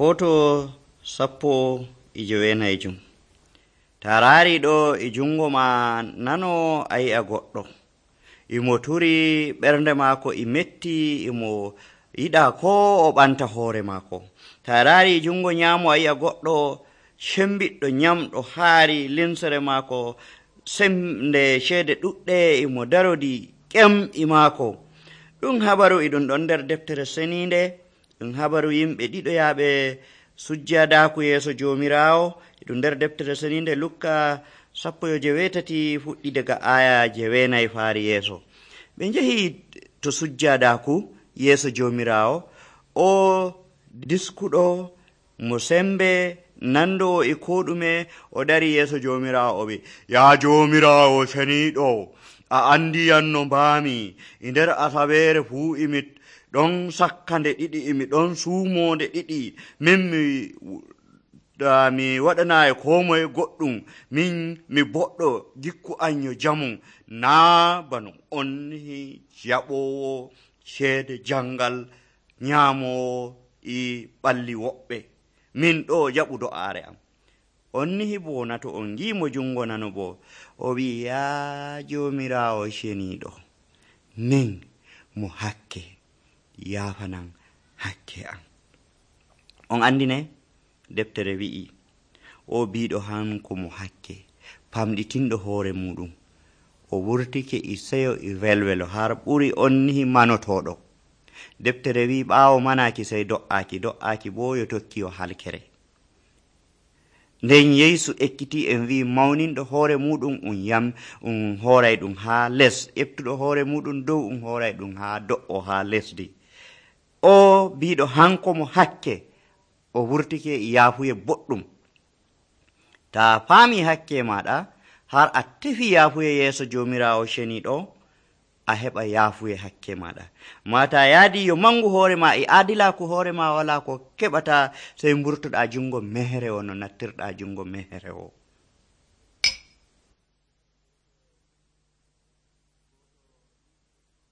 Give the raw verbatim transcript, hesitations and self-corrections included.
Foto sappo e joweenayjum. Ta raari ɗo e jungo ma nano a yi'a goɗɗo imo turi ɓernde maako e metti imo yiɗa ko o ɓanta hoore maako. Ta raari jungo nyamo a yi'a goɗɗo sembiɗɗo nyamɗo haari linsere maako semde ceede ɗuɗɗe imo darodi ƙem e maako. Ɗum habaru e ɗum ɗon nder deftere seninde. Ɗum habaru yimɓe ɗiɗoyaɓe sujjadaku yeeso jomirawo e ɗum nder deftere seninde Lukka sappo yo jewetati fuɗɗi daga aya jeweenayi faari yeeso. Ɓe njehi to sujjadaku yeeso jomirawo, o diskuɗo mo sembe nando e ko ɗume o dari yeeso jomirawo o wi, ya jomirawo seniɗo, a andiyan no mbami e nder asawere fuu imi ɗon sakka nde ɗiɗi imi ɗon suumo nde ɗiɗi, min mi da mi waɗanayi ko moye goɗɗum, min mi boɗɗo gikku an yo jamu, naa bano on jaɓowo ceede jangal nyamowo e ɓalli woɓɓe, min ɗo jaɓudo aare am. On nihi bo nato on gimo jungo nano bo o wi, ya jomirawo ceniɗo, min mo hakke yafanan hakke an. On andine deftere wi'i o biɗo hanko mo hakke pamɗitinɗo hoore muɗum o wurtike e seyo e welwelo har ɓuri on nihi manotoɗo. Deftere wi ɓaawo manaki sey do'aki do'aki bo yo tokki yo halkere. Nden Yeesu ekkiti en wi mawninɗo hoore muɗum um yam um hooray ɗum ha les, ƴeftuɗo hoore muɗum dow um hooray ɗum ha do'o ha lesdi. O biɗo hanko mo hakke o wurtike e yaafuye boɗɗum. Ta faami hakke maɗa har a tefi yaafuye yeeso jomirawo ceniɗo, a heɓa yaafuye hakke maɗa. Mata yaadi yo mangu hoore ma e aadilaku hoore ma wala ko keɓata sey mburtoɗa jungo mehere o no nattirɗa jungo mehere o.